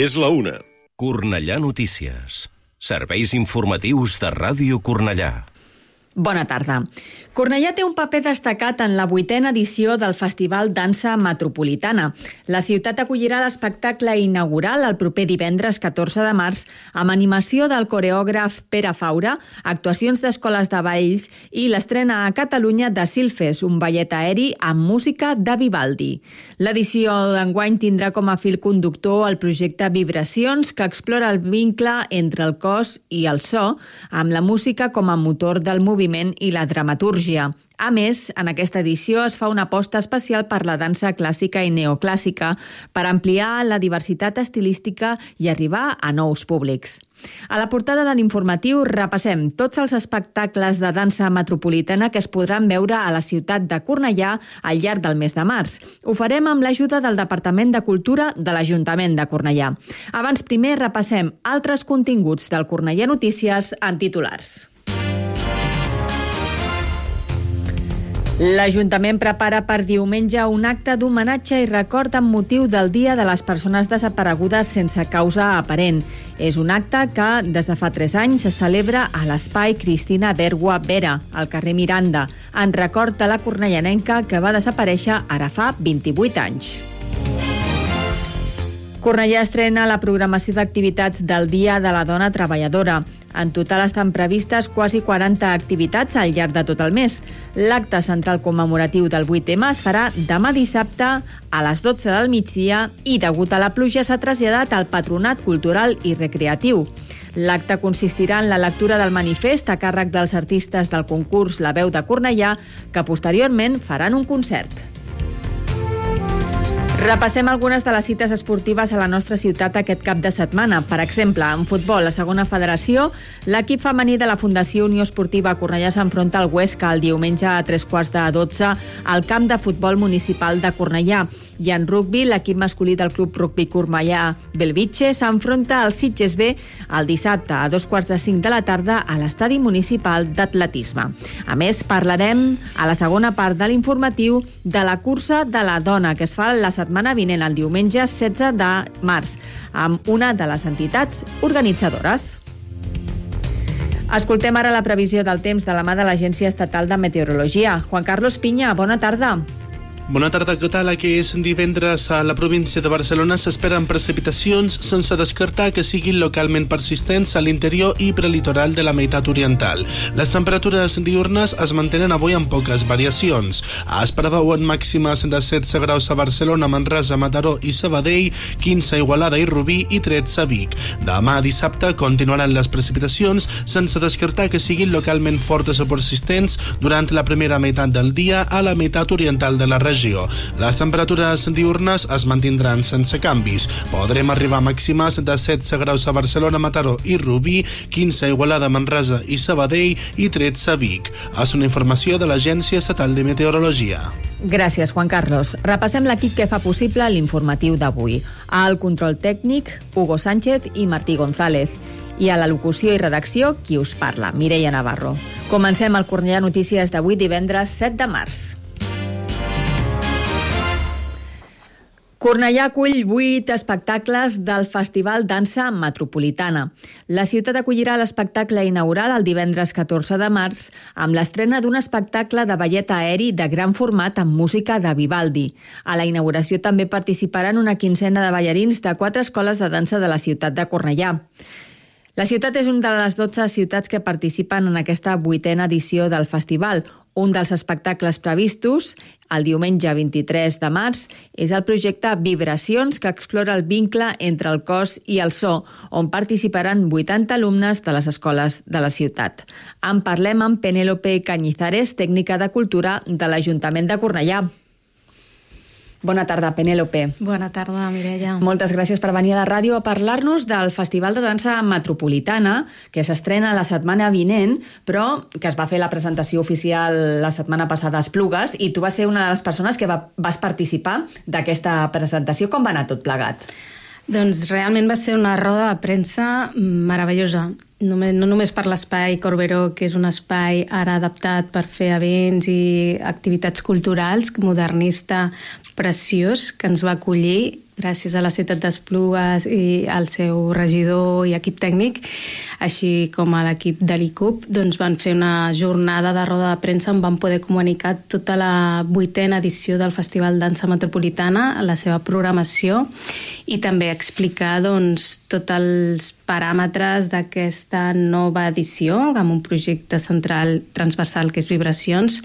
És la 1. Cornellà Notícies. Serveis informatius de Ràdio Cornellà. Bona tarda. Cornellà té un paper destacat en la 8a edició del Festival Dansa Metropolitana. La ciutat acollirà l'espectacle inaugural el proper divendres 14 de març amb animació del coreògraf Pere Faura, actuacions d'escoles de balls i l'estrena a Catalunya de Silfes, un ballet aeri amb música de Vivaldi. L'edició d'enguany tindrà com a fil conductor el projecte Vibracions, que explora el vincle entre el cos i el so, amb la música com a motor del moviment i la dramatúrgia. A més, en aquesta edició es fa una aposta especial per la dansa clàssica i neoclàssica per ampliar la diversitat estilística i arribar a nous públics. A la portada de l'informatiu repassem tots els espectacles de dansa metropolitana que es podran veure a la ciutat de Cornellà al llarg del mes de març. Ho farem amb l'ajuda del Departament de Cultura de l'Ajuntament de Cornellà. Abans primer repassem altres continguts del Cornellà Notícies en titulars. L'Ajuntament prepara per diumenge un acte d'homenatge i record amb motiu del Dia de les Persones Desaparegudes sense causa aparent. És un acte que, des de fa 3 anys, se celebra a l'espai Cristina Bergua Vera, al carrer Miranda, en record de la cornellanenca que va desaparèixer ara fa 28 anys. Cornellà estrena la programació d'activitats del Dia de la Dona Treballadora. En total estan previstes quasi 40 activitats al llarg de tot el mes. L'acte central commemoratiu del 8M es farà demà dissabte a les 12 del migdia i, degut a la pluja, s'ha traslladat al Patronat Cultural i Recreatiu. L'acte consistirà en la lectura del manifest a càrrec dels artistes del concurs La Veu de Cornellà, que posteriorment faran un concert. Repassem algunes de les cites esportives a la nostra ciutat aquest cap de setmana. Per exemple, en futbol, a segona federació, l'equip femení de la Fundació Unió Esportiva Cornellà s'enfronta al Huesca el diumenge a 3:15 al camp de futbol municipal de Cornellà. I en rugbi, l'equip masculí del Club Rugbi Cornellà Belvitge s'enfronta al Sitges B el dissabte a 2:45 de la tarda a l'estadi municipal d'atletisme. A més, parlarem a la segona part de l'informatiu de la cursa de la dona que es fa la setmana vinent, el diumenge 16 de març, amb una de les entitats organitzadores. Escoltem ara la previsió del temps de la mà de l'Agència Estatal de Meteorologia. Juan Carlos Piña, bona tarda. Bona tarda, què tal? Aquí és divendres a la província de Barcelona. S'esperen precipitacions sense descartar que siguin localment persistents a l'interior i prelitoral de la meitat oriental. Les temperatures diurnes es mantenen avui amb poques variacions. Es preveuen màximes de 16 graus a Barcelona, Manresa, Mataró i Sabadell, 15 a Igualada i Rubí i 13 a Vic. Demà dissabte continuaran les precipitacions sense descartar que siguin localment fortes o persistents durant la primera meitat del dia a la meitat oriental de la regió. Les temperatures diurnes es mantindran sense canvis. Podrem arribar a màximes de 16 graus a Barcelona, Mataró i Rubí, 15 a Igualada, Manresa i Sabadell i 13 a Vic. És una informació de l'Agència Estatal de Meteorologia. Gràcies, Juan Carlos. Repassem l'equip que fa possible l'informatiu d'avui. Al control tècnic, Hugo Sánchez i Martí González. I a la locució i redacció, qui us parla, Mireia Navarro. Comencem el Cornellà Notícies d'avui, divendres 7 de març. Cornellà acull 8 espectacles del Festival Dansa Metropolitana. La ciutat acollirà l'espectacle inaugural el divendres 14 de març amb l'estrena d'un espectacle de ballet aeri de gran format amb música de Vivaldi. A la inauguració també participaran una quinzena de ballarins de 4 escoles de dansa de la ciutat de Cornellà. La ciutat és una de les 12 ciutats que participen en aquesta 8a edició del festival. Un dels espectacles previstos, el diumenge 23 de març, és el projecte Vibracions, que explora el vincle entre el cos i el so, on participaran 80 alumnes de les escoles de la ciutat. En parlem amb Penélope Cañizares, tècnica de cultura de l'Ajuntament de Cornellà. Bona tarda, Penélope. Bona tarda, Mireia. Moltes gràcies per venir a la ràdio a parlar-nos del Festival de Dansa Metropolitana, que s'estrena la setmana vinent, però que es va fer la presentació oficial la setmana passada a Esplugues, i tu vas ser una de les persones que vas participar d'aquesta presentació. Com va anar tot plegat? Doncs realment va ser una roda de premsa meravellosa. No només per l'espai Corberó, que és un espai ara adaptat per fer events i activitats culturals, modernista, preciós, que ens va acollir gràcies a la ciutat d'Esplugues i al seu regidor i equip tècnic, així com a l'equip de l'ICUP, doncs van fer una jornada de roda de premsa on van poder comunicar tota la 8a edició del Festival Dansa Metropolitana, la seva programació, i també explicar doncs, tots els paràmetres d'aquesta nova edició, amb un projecte central transversal que és Vibracions,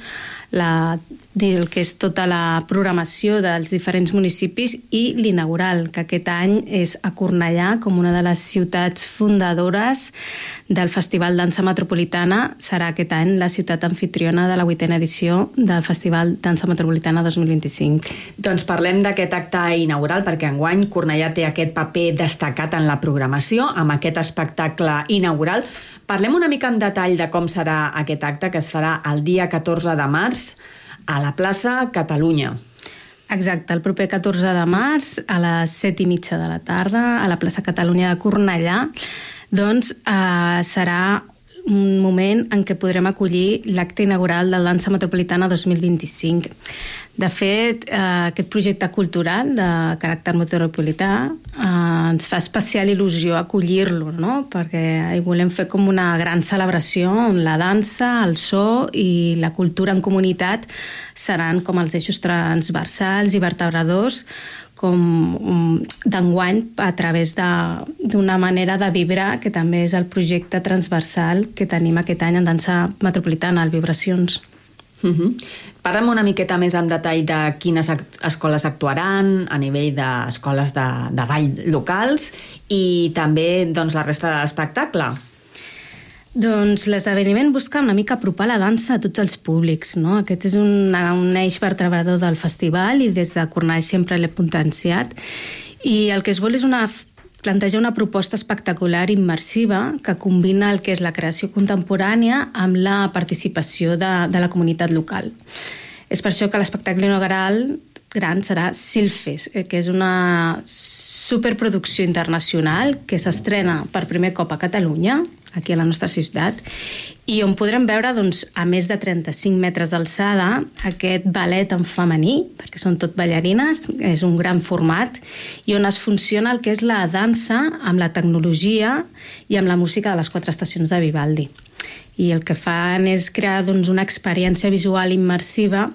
el que és tota la programació dels diferents municipis i l'inaugural, que aquest any és a Cornellà, com una de les ciutats fundadores del Festival Dansa Metropolitana. Serà aquest any la ciutat anfitriona de la 8a edició del Festival Dansa Metropolitana 2025. Doncs parlem d'aquest acte inaugural, perquè enguany Cornellà té aquest paper destacat en la programació, amb aquest espectacle inaugural. Parlem una mica en detall de com serà aquest acte, que es farà el dia 14 de març a la plaça Catalunya. Exacte, el proper 14 de març a les 7:30 de la tarda a la plaça Catalunya de Cornellà, doncs serà un moment en què podrem acollir l'acte inaugural del Dansa Metropolitana 2025. De fet, aquest projecte cultural de caràcter metropolità ens fa especial il·lusió acollir-lo, no? Perquè hi volem fer com una gran celebració on la dansa, el so i la cultura en comunitat seran com els eixos transversals i vertebradors com d'enguany a través d'una manera de vibrar, que també és el projecte transversal que tenim aquest any en Dansa Metropolitana, el Vibracions. Parlem una miqueta més en detall de quines escoles actuaran a nivell d'escoles de ball locals i també doncs, la resta de l'espectacle. Doncs l'esdeveniment busca una mica apropar la dansa a tots els públics, no? Aquest és un eix vertebrador del festival i des de Cornellà sempre l'he potenciat. I el que es vol és plantejar una proposta espectacular i immersiva que combina el que és la creació contemporània amb la participació de la comunitat local. És per això que l'espectacle inaugural gran serà Silfes, que és una superproducció internacional que s'estrena per primer cop a Catalunya, aquí a la nostra ciutat, i on podrem veure, doncs, a més de 35 metres d'alçada, aquest ballet en femení, perquè són tot ballarines, és un gran format, i on es funciona el que és la dansa amb la tecnologia i amb la música de les 4 estacions de Vivaldi. I el que fan és crear doncs, una experiència visual immersiva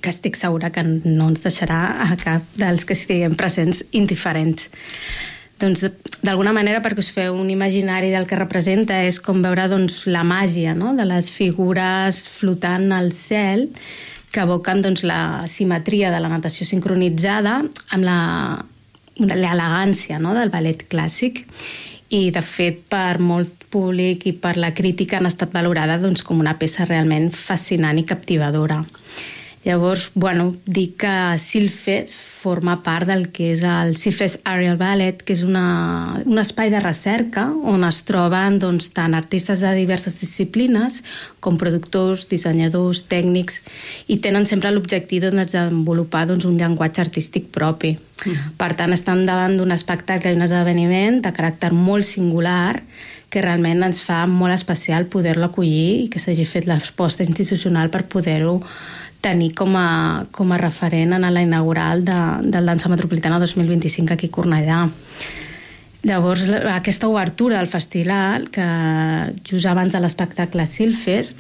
que estic segura que no ens deixarà a cap dels que estiguem presents indiferents. Doncs, d'alguna manera, perquè us feu un imaginari del que representa, és com veure doncs, la màgia, no?, de les figures flotant al cel que evoquen doncs, la simetria de la natació sincronitzada amb l'elegància, no?, del ballet clàssic. I, de fet, per molt públic i per la crítica han estat valorades doncs, com una peça realment fascinant i captivadora. Llavors, dic que Silfes forma part del que és el Silfes Aerial Ballet, que és un espai de recerca on es troben doncs, tant artistes de diverses disciplines com productors, dissenyadors, tècnics, i tenen sempre l'objectiu de desenvolupar doncs, un llenguatge artístic propi. Per tant, estan davant d'un espectacle i un esdeveniment de caràcter molt singular que realment ens fa molt especial poder-lo acollir i que s'hagi fet l'aposta institucional per poder-ho tenir com a referent en la inaugural del Dansa Metropolitana 2025 aquí a Cornellà. Llavors, aquesta obertura del festival, que just abans de l'espectacle Silfes,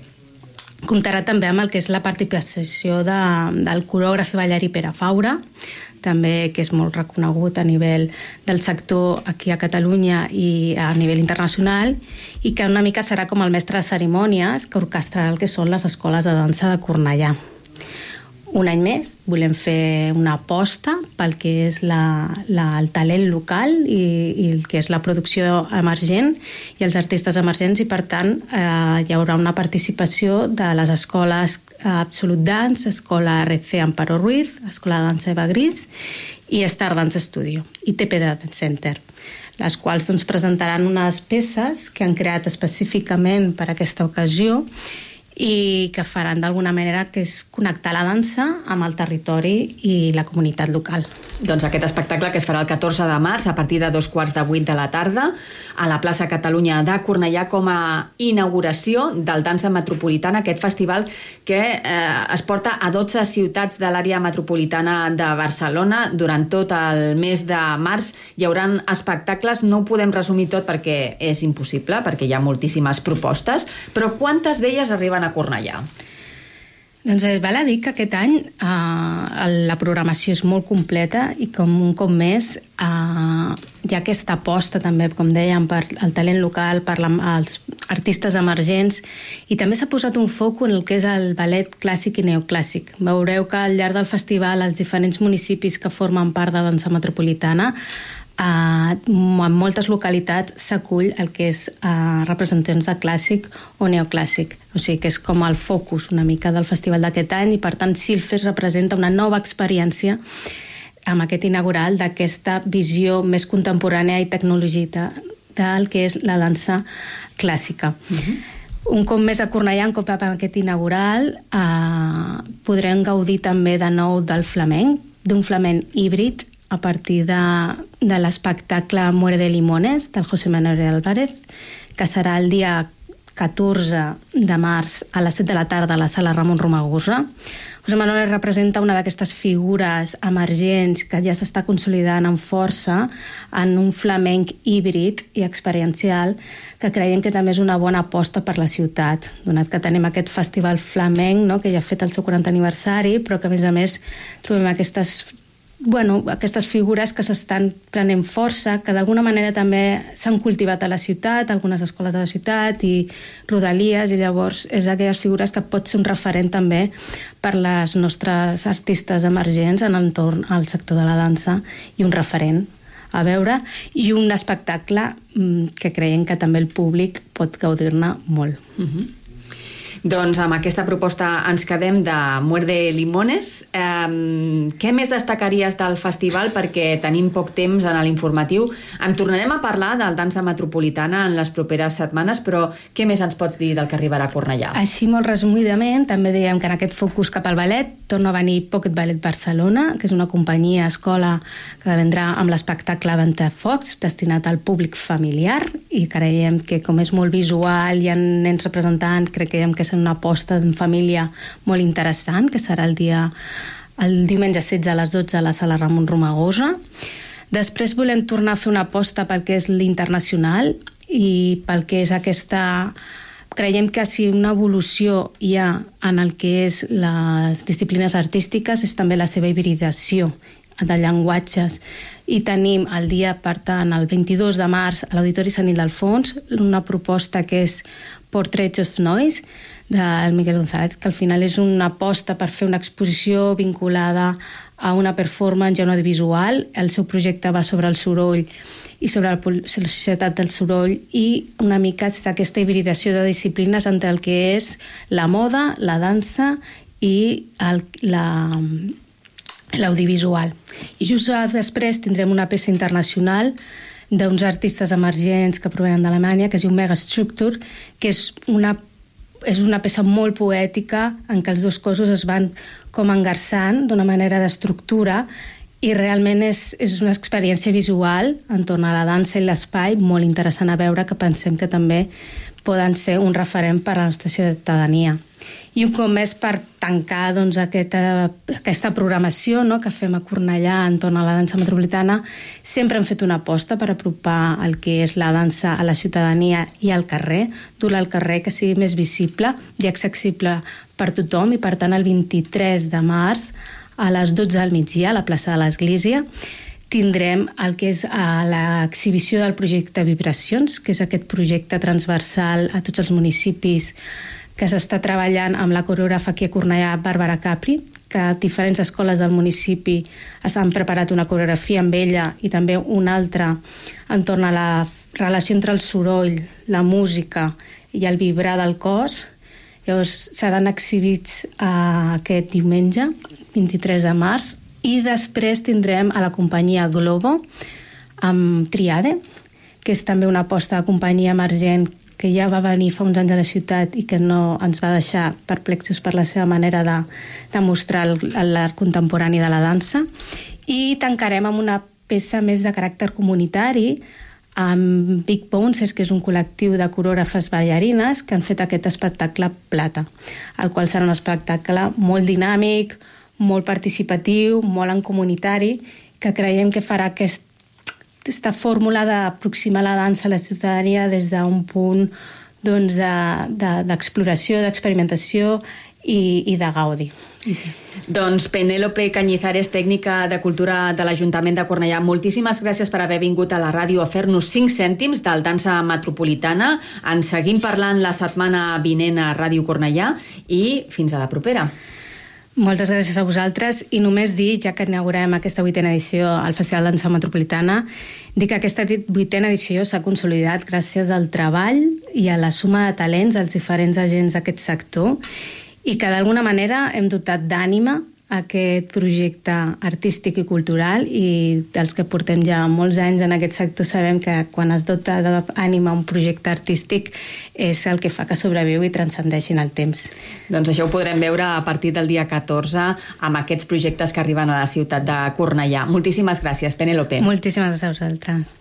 comptarà també amb el que és la participació del corògraf i ballarí Pere Faura, també que és molt reconegut a nivell del sector aquí a Catalunya i a nivell internacional, i que una mica serà com el mestre de cerimònies que orquestrarà el que són les escoles de dansa de Cornellà. Un any més volem fer una aposta pel que és el talent local i el que és la producció emergent i els artistes emergents, i per tant hi haurà una participació de les escoles Absolute Dance, Escola RC Amparo Ruiz, Escola de Dansa Eva Gris i Star Dance Studio i TP Dance Center, les quals doncs, presentaran unes peces que han creat específicament per a aquesta ocasió i que faran d'alguna manera, que és connectar la dansa amb el territori i la comunitat local. Doncs aquest espectacle, que es farà el 14 de març a partir de 7:15 de la tarda a la plaça Catalunya de Cornellà, com a inauguració del Dansa Metropolitana, aquest festival que es porta a 12 ciutats de l'àrea metropolitana de Barcelona. Durant tot el mes de març hi haurà espectacles, no ho podem resumir tot perquè és impossible, perquè hi ha moltíssimes propostes, però quantes d'elles arriben a Cornellà? Doncs val a dir que aquest any la programació és molt completa i com un cop més hi ha aquesta aposta també, com dèiem, per el talent local, per els artistes emergents, i també s'ha posat un foc en el que és el ballet clàssic i neoclàssic. Veureu que al llarg del festival els diferents municipis que formen part de Dansa Metropolitana, en moltes localitats s'acull el que és representants de clàssic o neoclàssic, o sigui que és com el focus una mica del festival d'aquest any, i per tant Silfes representa una nova experiència amb aquest inaugural d'aquesta visió més contemporània i tecnològica del que és la dansa clàssica. Un cop més a Cornellà, un cop amb aquest inaugural, podrem gaudir també de nou del flamenc, d'un flamenc híbrid, a partir de l'espectacle Muere de Limones, del José Manuel Álvarez, que serà el dia 14 de març a les 7 de la tarda a la sala Ramon Romagosa. José Manuel representa una d'aquestes figures emergents que ja s'està consolidant amb força en un flamenc híbrid i experiencial, que creiem que també és una bona aposta per la ciutat, donat que tenim aquest festival flamenc, no?, que ja ha fet el seu 40 aniversari, però que a més trobem aquestes figures que s'estan prenent força, que d'alguna manera també s'han cultivat a la ciutat, algunes escoles de la ciutat i rodalies, i llavors és aquelles figures que pot ser un referent també per les nostres artistes emergents en entorn al sector de la dansa, i un referent a veure, i un espectacle que creiem que també el públic pot gaudir-ne molt. Doncs amb aquesta proposta ens quedem de Muere de Limones. Què més destacaries del festival? Perquè tenim poc temps en l'informatiu. En tornarem a parlar del Dansa Metropolitana en les properes setmanes, però què més ens pots dir del que arribarà a Cornellà? Així, molt resumidament, també dèiem que en aquest focus cap al ballet torna a venir Pocket Ballet Barcelona, que és una companyia escola que vendrà amb l'espectacle Ventafocs, destinat al públic familiar, i creiem que com és molt visual i hi ha nens representant, creiem que és una aposta en família molt interessant, que serà el diumenge 16 a les 12 a la sala Ramon Romagosa. Després volem tornar a fer una aposta pel que és l'internacional i pel que és aquesta... Creiem que si una evolució hi ha en el que és les disciplines artístiques és també la seva hibridació de llenguatges, i tenim el dia, per tant, el 22 de març a l'Auditori Sant Ildefons una proposta que és Portraits of Noise, del Miguel González, que al final és una aposta per fer una exposició vinculada a una performance i a un audiovisual. El seu projecte va sobre el soroll i sobre la societat del soroll, i una mica aquesta hibridació de disciplines entre el que és la moda, la dansa i l'audiovisual. I just després tindrem una peça internacional d'uns artistes emergents que provenen d'Alemanya, que es diu Megastructure, que és una peça molt poètica en què els dos cossos es van com engarçant d'una manera d'estructura, i realment és una experiència visual entorn a la dansa i l'espai molt interessant a veure, que pensem que també poden ser un referent per a la nostra ciutadania. I un cop més, per tancar aquesta programació que fem a Cornellà entorn a la dansa metropolitana, sempre hem fet una aposta per apropar el que és la dansa a la ciutadania i al carrer, dur-la al carrer, que sigui més visible i accessible per tothom, i per tant el 23 de març a les 12 del migdia a la plaça de l'Església tindrem el que és l'exhibició del projecte Vibracions, que és aquest projecte transversal a tots els municipis que s'està treballant amb la coreògrafa aquí a Cornellà, Bàrbara Capri, que diferents escoles del municipi han preparat una coreografia amb ella i també una altra entorn a la relació entre el soroll, la música i el vibrar del cos. Llavors seran exhibits aquest diumenge, 23 de març, i després tindrem a la companyia Globo amb Triade, que és també una aposta de companyia emergent que ja va venir fa uns anys a la ciutat i que no ens va deixar perplexos per la seva manera de mostrar l'art contemporani de la dansa. I tancarem amb una peça més de caràcter comunitari amb Big Bouncers, que és un col·lectiu de corògrafes ballarines que han fet aquest espectacle Plata, el qual serà un espectacle molt dinàmic, molt participatiu, molt en comunitari, que creiem que farà aquesta fórmula d'aproximar la dansa a la ciutadania des d'un punt d'exploració, d'experimentació i de gaudi. Doncs Penélope Cañizares, tècnica de cultura de l'Ajuntament de Cornellà, moltíssimes gràcies per haver vingut a la ràdio a fer-nos 5 cèntims del Dansa Metropolitana. En seguim parlant la setmana vinent a Ràdio Cornellà i fins a la propera. Moltes gràcies a vosaltres i només dir, ja que inaugurem aquesta 8a edició al Festival Dansa Metropolitana, dir que aquesta 8a edició s'ha consolidat gràcies al treball i a la suma de talents dels diferents agents d'aquest sector i que d'alguna manera hem dotat d'ànima aquest projecte artístic i cultural, i dels que portem ja molts anys en aquest sector sabem que quan es dota d'ànima un projecte artístic és el que fa que sobreviu i transcendeixi en el temps. Doncs això ho podrem veure a partir del dia 14 amb aquests projectes que arriben a la ciutat de Cornellà. Moltíssimes gràcies, Penélope. Moltíssimes gràcies a vosaltres.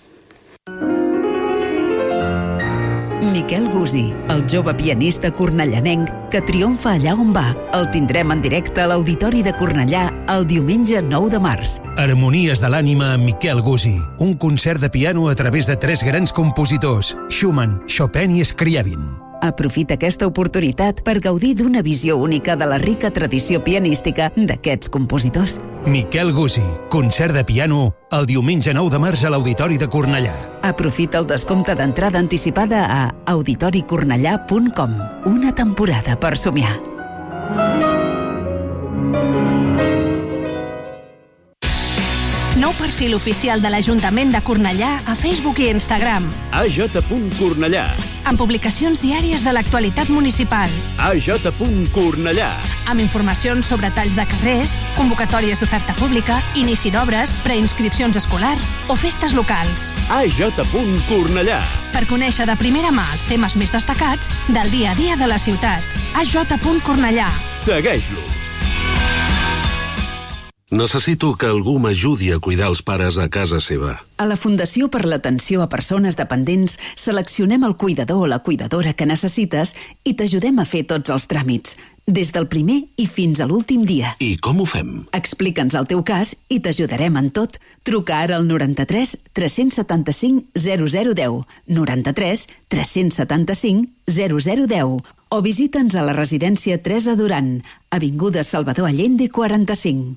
Miquel Gusí, el jove pianista cornellanenc que triomfa allà on va. El tindrem en directe a l'Auditori de Cornellà el diumenge 9 de març. Harmonies de l'ànima amb Miquel Gusí. Un concert de piano a través de 3 grans compositors, Schumann, Chopin i Scriabin. Aprofita aquesta oportunitat per gaudir d'una visió única de la rica tradició pianística d'aquests compositors. Miquel Gusí, concert de piano el diumenge 9 de març a l'Auditori de Cornellà. Aprofita el descompte d'entrada anticipada a auditoricornellà.com. Una temporada per somiar. Nou perfil oficial de l'Ajuntament de Cornellà a Facebook i Instagram. AJ.Cornellà. Amb publicacions diàries de l'actualitat municipal. AJ.Cornellà. Amb informacions sobre talls de carrers, convocatòries d'oferta pública, inici d'obres, preinscripcions escolars o festes locals. AJ.Cornellà. Per conèixer de primera mà els temes més destacats del dia a dia de la ciutat. AJ.Cornellà. Segueix-lo. Necessito que algú m'ajudi a cuidar els pares a casa seva. A la Fundació per l'Atenció a Persones Dependents seleccionem el cuidador o la cuidadora que necessites i t'ajudem a fer tots els tràmits, des del primer i fins a l'últim dia. I com ho fem? Explica'ns el teu cas i t'ajudarem en tot. Truca ara al 93 375 0010, 93 375 0010 o visita'ns a la residència Teresa Duran, avinguda Salvador Allende 45.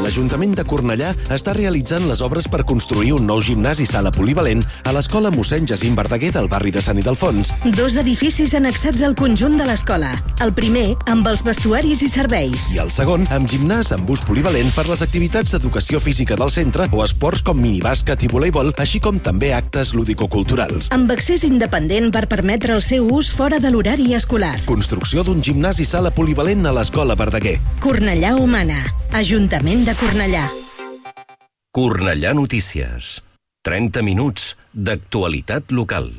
L'Ajuntament de Cornellà està realitzant les obres per construir un nou gimnàs i sala polivalent a l'Escola Mossèn Jacint Verdaguer del barri de Sant Ildefons. 2 edificis annexats al conjunt de l'escola. El primer, amb els vestuaris i serveis. I el segon, amb gimnàs amb ús polivalent per les activitats d'educació física del centre o esports com minibàsquet i voleibol, així com també actes lúdico-culturals. Amb accés independent per permetre el seu ús fora de l'horari escolar. Construcció d'un gimnàs i sala polivalent a l'Escola Verdaguer. Cornellà Humana. Ajuntament de Cornellà. Cornellà Notícies. 30 minuts d'actualitat local.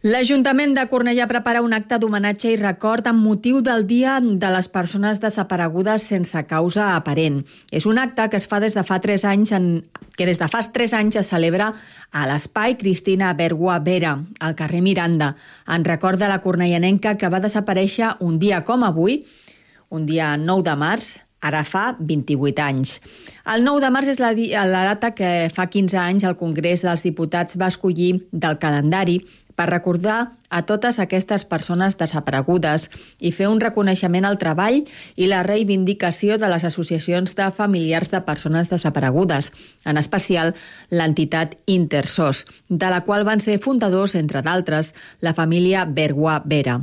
L'Ajuntament de Cornellà prepara un acte d'homenatge i record amb motiu del Dia de les Persones Desaparegudes sense causa aparent. És un acte que es fa des de fa 3 anys, que des de fa 3 anys es celebra a l'Espai Cristina Bergua Vera, al carrer Miranda, en record de la cornellanenca que va desaparèixer un dia com avui, un dia 9 de març, ara fa 28 anys. El 9 de març és la data que fa 15 anys el Congrés dels Diputats va escollir del calendari per recordar a totes aquestes persones desaparegudes i fer un reconeixement al treball i la reivindicació de les associacions de familiars de persones desaparegudes, en especial l'entitat Intersos, de la qual van ser fundadors, entre d'altres, la família Bergua Vera.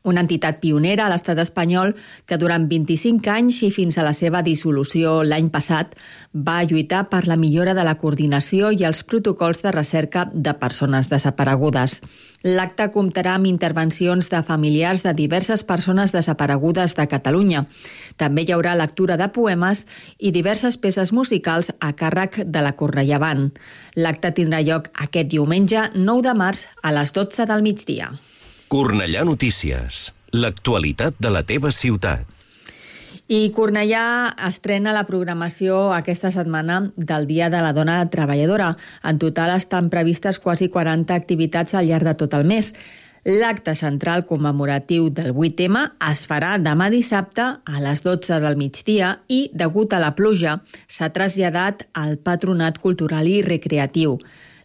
Una entitat pionera a l'estat espanyol que durant 25 anys i fins a la seva dissolució l'any passat va lluitar per la millora de la coordinació i els protocols de recerca de persones desaparegudes. L'acte comptarà amb intervencions de familiars de diverses persones desaparegudes de Catalunya. També hi haurà lectura de poemes i diverses peces musicals a càrrec de la Cornellà Band. L'acte tindrà lloc aquest diumenge 9 de març a les 12 del migdia. Cornellà Notícies. L'actualitat de la teva ciutat. I Cornellà estrena la programació aquesta setmana del Dia de la Dona Treballadora. En total estan previstes quasi 40 activitats al llarg de tot el mes. L'acte central commemoratiu del 8M es farà demà dissabte a les 12 del migdia i, degut a la pluja, s'ha traslladat al Patronat Cultural i Recreatiu.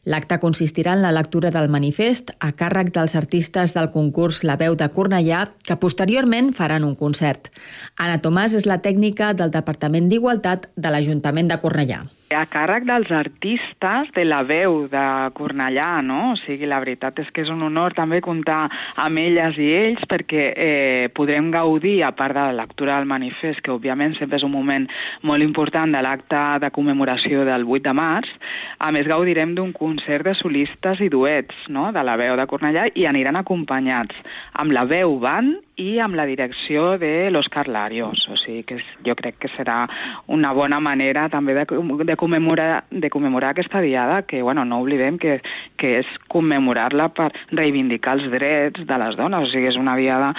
L'acte consistirà en la lectura del manifest a càrrec dels artistes del concurs La Veu de Cornellà, que posteriorment faran un concert. Anna Tomàs és la tècnica del Departament d'Igualtat de l'Ajuntament de Cornellà. A càrrec dels artistes de La Veu de Cornellà, no? O sigui, la veritat és que és un honor també comptar amb elles i ells perquè podrem gaudir, a part de la lectura del manifest, que òbviament sempre és un moment molt important de l'acte de commemoració del 8 de març, a més gaudirem d'un concert de solistes i duets, no?, de La Veu de Cornellà, i aniran acompanyats amb la veu band i amb la direcció de l'Òscar Larios. O sigui que jo crec que serà una bona manera també de commemorar aquesta diada, que bueno, no oblidem que és commemorar-la per reivindicar els drets de les dones. O sigui, és una diada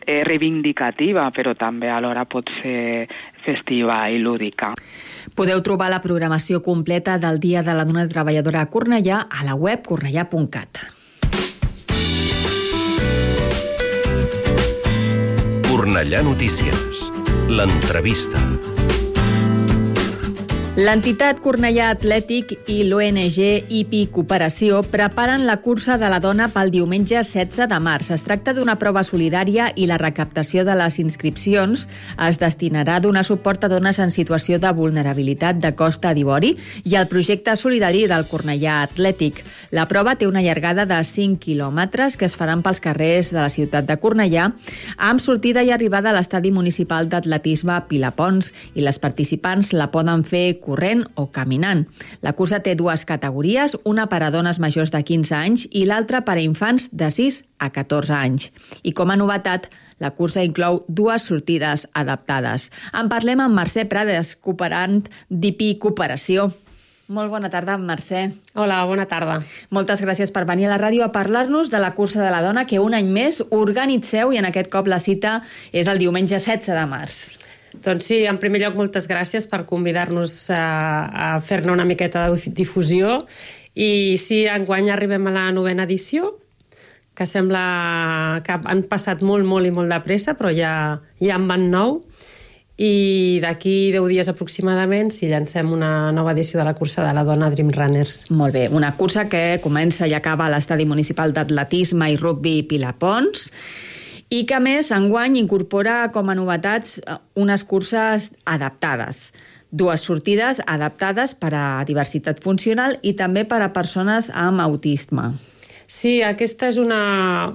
reivindicativa, però també alhora pot ser festiva i lúdica. Podeu trobar la programació completa del Dia de la Dona Treballadora a Cornellà a la web cornellà.cat. Cornellà Notícies. L'entrevista. L'entitat Cornellà Atlètic i l'ONG IPI Cooperació preparen la cursa de la dona pel diumenge 16 de març. Es tracta d'una prova solidària i la recaptació de les inscripcions es destinarà a donar suport a dones en situació de vulnerabilitat de Costa d'Ivori i al projecte solidari del Cornellà Atlètic. La prova té una llargada de 5 quilòmetres que es faran pels carrers de la ciutat de Cornellà amb sortida i arribada a l'estadi municipal d'atletisme Pilapons i les participants la poden fer corrent o caminant. La cursa té dues categories, una per a dones majors de 15 anys i l'altra per a infants de 6 a 14 anys. I com a novetat, la cursa inclou dues sortides adaptades. En parlem amb Mercè Prades, cooperant d'IPI Cooperació. Molt bona tarda, Mercè. Hola, bona tarda. Moltes gràcies per venir a la ràdio a parlar-nos de la cursa de la dona que un any més organitzeu i en aquest cop la cita és el diumenge 16 de març. Doncs sí, en primer lloc, moltes gràcies per convidar-nos a fer-ne una miqueta de difusió. I sí, enguany arribem a la 9a edició, que sembla que han passat molt i molt de pressa, però ja en van 9. I d'aquí 10 dies aproximadament llancem una nova edició de la cursa de la dona Dream Runners. Molt bé, una cursa que comença i acaba a l'estadi municipal d'atletisme i rugbi Pilapons, i que, a més, enguany incorpora com a novetats unes curses adaptades. Dues sortides adaptades per a diversitat funcional i també per a persones amb autisme. Sí, aquesta és una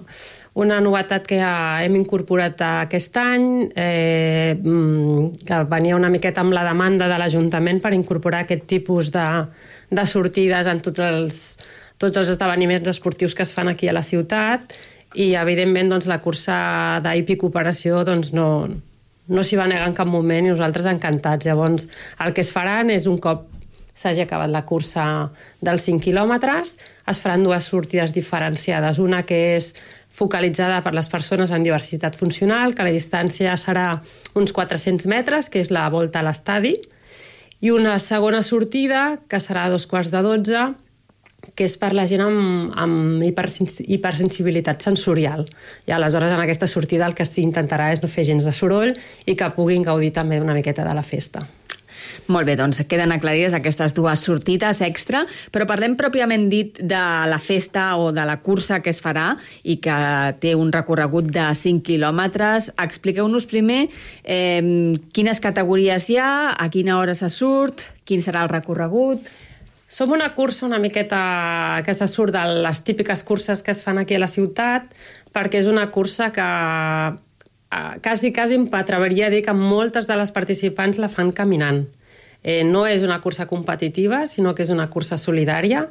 novetat que hem incorporat aquest any, que venia una miqueta amb la demanda de l'Ajuntament per incorporar aquest tipus de sortides en tots els esdeveniments esportius que es fan aquí a la ciutat. I, evidentment, doncs, la cursa d'IPI Cooperació no s'hi va negar en cap moment i nosaltres encantats. Llavors, el que es faran és, un cop s'hagi acabat la cursa dels 5 quilòmetres, es faran dues sortides diferenciades. Una que és focalitzada per les persones amb diversitat funcional, que la distància serà uns 400 metres, que és la volta a l'estadi, i una segona sortida, que serà a 11:15, que és per la gent amb hipersensibilitat sensorial. I aleshores en aquesta sortida el que s'intentarà és no fer gens de soroll i que puguin gaudir també una miqueta de la festa. Molt bé, doncs queden aclarides aquestes dues sortides extra, però parlem pròpiament dit de la festa o de la cursa que es farà i que té un recorregut de 5 quilòmetres. Expliqueu-nos primer quines categories hi ha, a quina hora se surt, quin serà el recorregut. Som una cursa una miqueta que se surt de les típiques curses que es fan aquí a la ciutat, perquè és una cursa que quasi m'atreviria a dir que moltes de les participants la fan caminant. No és una cursa competitiva, sinó que és una cursa solidària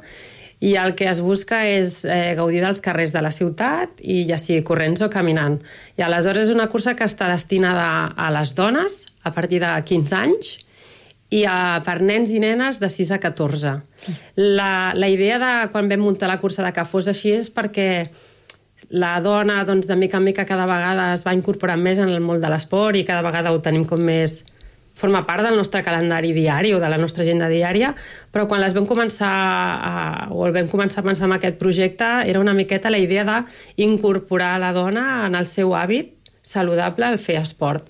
i el que es busca és gaudir dels carrers de la ciutat, i ja sigui corrents o caminant. I aleshores és una cursa que està destinada a les dones a partir de 15 anys i per nens i nenes de 6 a 14. La idea de quan vam muntar la cursa de que fos així és perquè la dona, doncs, de mica en mica cada vegada es va incorporant més en el món de l'esport i cada vegada ho tenim com més... forma part del nostre calendari diari o de la nostra agenda diària, però quan el vam començar a pensar en aquest projecte era una miqueta la idea d'incorporar la dona en el seu hàbit saludable al fer esport.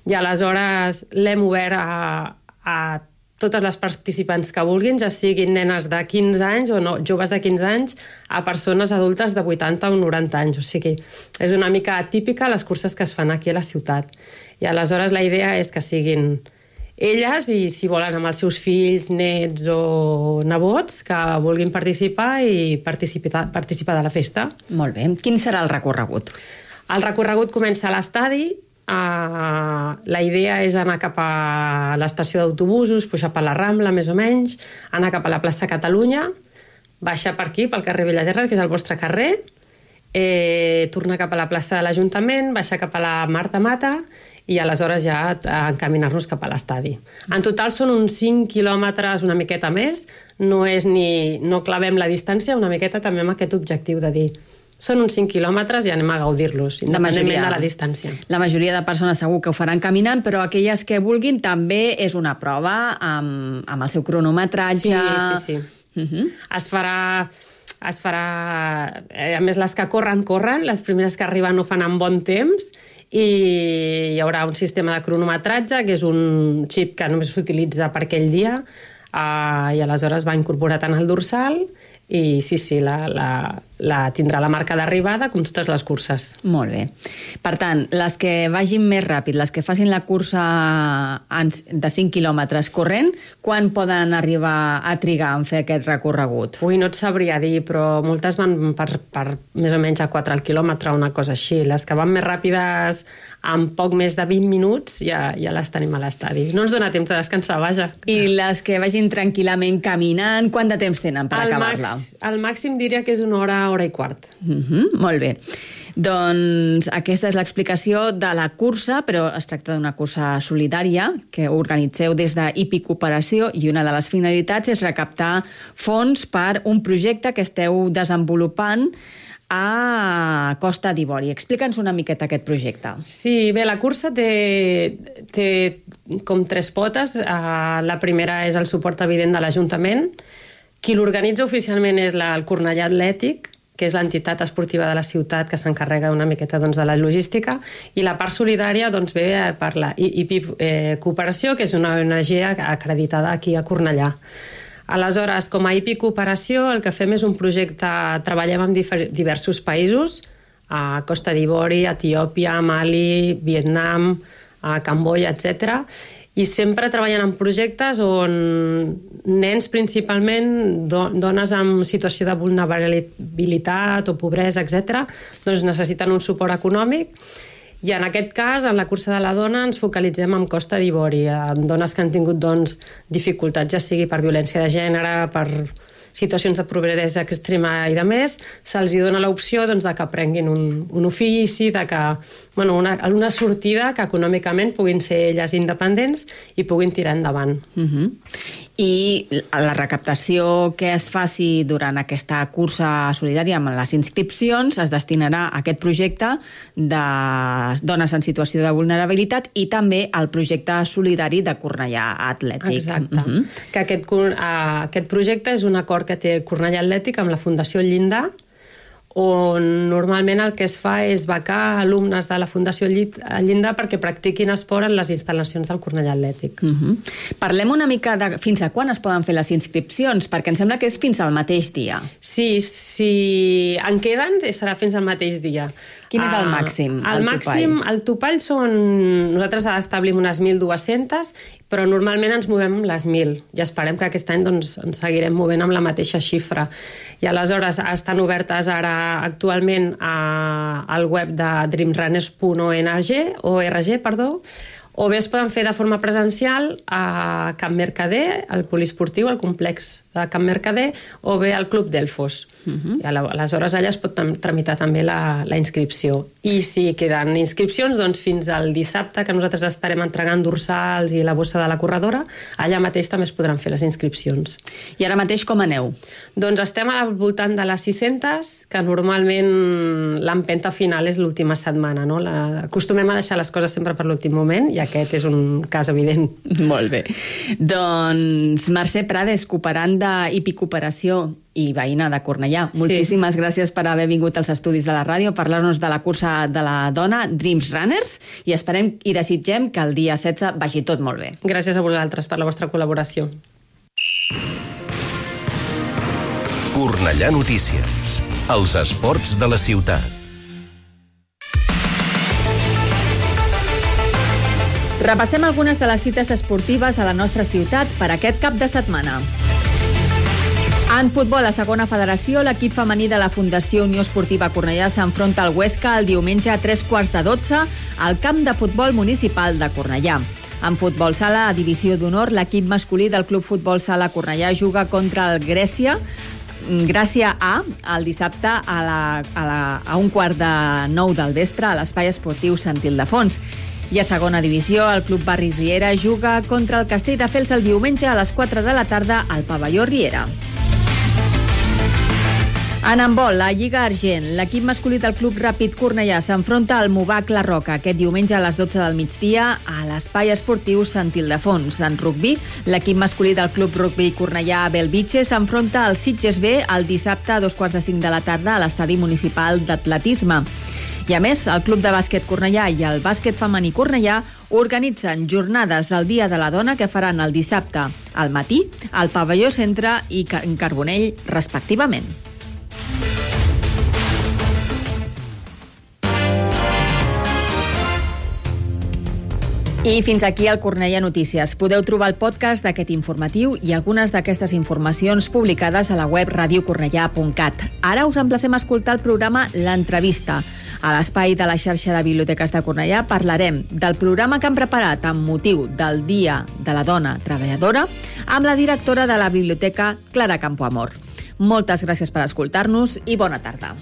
I aleshores l'hem obert a totes les participants que vulguin, ja siguin nenes de 15 anys o no, joves de 15 anys, a persones adultes de 80 o 90 anys. O sigui, és una mica atípica les curses que es fan aquí a la ciutat. I aleshores la idea és que siguin elles i, si volen, amb els seus fills, nets o nebots, que vulguin participar i participar de la festa. Molt bé. Quin serà el recorregut? El recorregut comença a l'estadi. La idea és anar cap a l'estació d'autobusos, pujar per la Rambla, més o menys, anar cap a la plaça Catalunya, baixar per aquí, pel carrer Bellaterra, que és el vostre carrer, tornar cap a la plaça de l'Ajuntament, baixar cap a la Marta Mata i aleshores ja encaminar-nos cap a l'estadi. En total són uns 5 quilòmetres, una miqueta més, no clavem la distància, una miqueta també amb aquest objectiu de dir són uns 5 quilòmetres i anem a gaudir-los, independentment de la distància. La majoria de persones segur que ho faran caminant, però aquelles que vulguin també és una prova amb el seu cronometratge. Sí. Es farà... A més, les que corren, les primeres que arriben ho fan amb bon temps, i hi haurà un sistema de cronometratge, que és un xip que només s'utilitza per aquell dia, i aleshores va incorporat en el dorsal, i sí, tindrà la marca d'arribada com totes les curses. Molt bé. Per tant, les que vagin més ràpid, les que facin la cursa de 5 quilòmetres corrent, quan poden arribar a trigar en fer aquest recorregut? Ui, no et sabria dir, però moltes van per més o menys a 4 al quilòmetre, una cosa així. Les que van més ràpides, en poc més de 20 minuts, ja les tenim a l'estadi. No ens dona temps de descansar, vaja. I les que vagin tranquil·lament caminant, quant de temps tenen per acabar-la? El màxim diria que és una hora i quart. Molt bé. Doncs aquesta és l'explicació de la cursa, però es tracta d'una cursa solidària que organitzeu des d'IPI Cooperació, i una de les finalitats és recaptar fons per un projecte que esteu desenvolupant a Costa d'Ivori. Explica'ns una miqueta aquest projecte. Sí, bé, la cursa té com 3 potes. La primera és el suport evident de l'Ajuntament. Qui l'organitza oficialment és el Cornellà Atlètic, que és l'entitat esportiva de la ciutat que s'encarrega una miqueta de la logística, i la part solidària ve per la IPI Cooperació, que és una ONG acreditada aquí a Cornellà. Aleshores, com a IPI Cooperació, el que fem és un projecte, treballem en diversos països, a Costa d'Ivori, Etiòpia, Mali, Vietnam, Camboya, etc. I sempre treballen en projectes on nens principalment, dones en situació de vulnerabilitat o pobresa, etc., doncs necessiten un suport econòmic. I en aquest cas, en la cursa de la dona, ens focalitzem en Costa d'Ivori, amb dones que han tingut dificultats, ja sigui per violència de gènere, per situacions de pobresa extrema i de més, se'ls dona l'opció de que aprenguin un ofici, una sortida que econòmicament puguin ser elles independents i puguin tirar endavant. I la recaptació que es faci durant aquesta cursa solidària amb les inscripcions es destinarà a aquest projecte de dones en situació de vulnerabilitat i també al projecte solidari de Cornellà Atlètic. Exacte. Que aquest projecte és un acord que té Cornellà Atlètic amb la Fundació Llindar, on normalment el que es fa és becar alumnes de la Fundació Llindar perquè practiquin esport en les instal·lacions del Cornellà Atlètic. Parlem una mica de fins a quan es poden fer les inscripcions, perquè em sembla que és fins al mateix dia. Sí, si en queden serà fins al mateix dia. Quin és el màxim? El topall són... Nosaltres establim unes 1.200, però normalment ens movem les 1.000 i esperem que aquest any ens seguirem movent amb la mateixa xifra. I aleshores estan obertes ara actualment al web de dreamrunners.org, o bé es poden fer de forma presencial a Can Mercader, al poliesportiu, al complex de Can Mercader, o bé al Club Delfos. I aleshores allà es pot tramitar també la inscripció. I si queden inscripcions, doncs fins al dissabte, que nosaltres estarem entregant dorsals i la bossa de la corredora, allà mateix també es podran fer les inscripcions. I ara mateix com aneu? Doncs estem al voltant de les 600, que normalment l'empenta final és l'última setmana, no? Acostumem a deixar les coses sempre per l'últim moment i aquest és un cas evident. Molt bé. Doncs Mercè Prades, cooperanda Hipicooperació i veïna de Cornellà. Moltíssimes gràcies per haver vingut als estudis de la ràdio a parlar-nos de la cursa de la dona Dreams Runners i esperem i desitgem que el dia 16 vagi tot molt bé. Gràcies a vosaltres per la vostra col·laboració. Cornellà Notícies. Els esports de la ciutat. Repassem algunes de les cites esportives a la nostra ciutat per aquest cap de setmana. En futbol, a segona federació, l'equip femení de la Fundació Unió Esportiva Cornellà s'enfronta al Huesca el diumenge a 3:15 al camp de futbol municipal de Cornellà. En futbol sala, a divisió d'honor, l'equip masculí del Club Futbol Sala Cornellà juga contra el Gràcia A el dissabte a 8:45 del vespre a l'Espai Esportiu Sant Ildefons. I a segona divisió, el Club Barri Riera juga contra el Castelldefels el diumenge a les 4 de la tarda al pavelló Riera. En handbol, la Lliga Argent, l'equip masculí del Club Ràpid Cornellà s'enfronta al Movac La Roca aquest diumenge a les 12 del migdia a l'Espai Esportiu Sant Ildefons. En rugbi, l'equip masculí del Club Rugbi Cornellà Belvitge s'enfronta al Sitges B el dissabte a 2:45 de la tarda a l'Estadi Municipal d'Atletisme. I a més, el Club de Bàsquet Cornellà i el Bàsquet Femení Cornellà organitzen jornades del Dia de la Dona que faran el dissabte al matí al pavelló Centre i en Carbonell, respectivament. I fins aquí el Cornellà Notícies. Podeu trobar el podcast d'aquest informatiu i algunes d'aquestes informacions publicades a la web radiocornellà.cat. Ara us emplacem a escoltar el programa L'Entrevista. A l'espai de la xarxa de biblioteques de Cornellà parlarem del programa que han preparat amb motiu del Dia de la Dona Treballadora amb la directora de la biblioteca, Clara Campoamor. Moltes gràcies per escoltar-nos i bona tarda.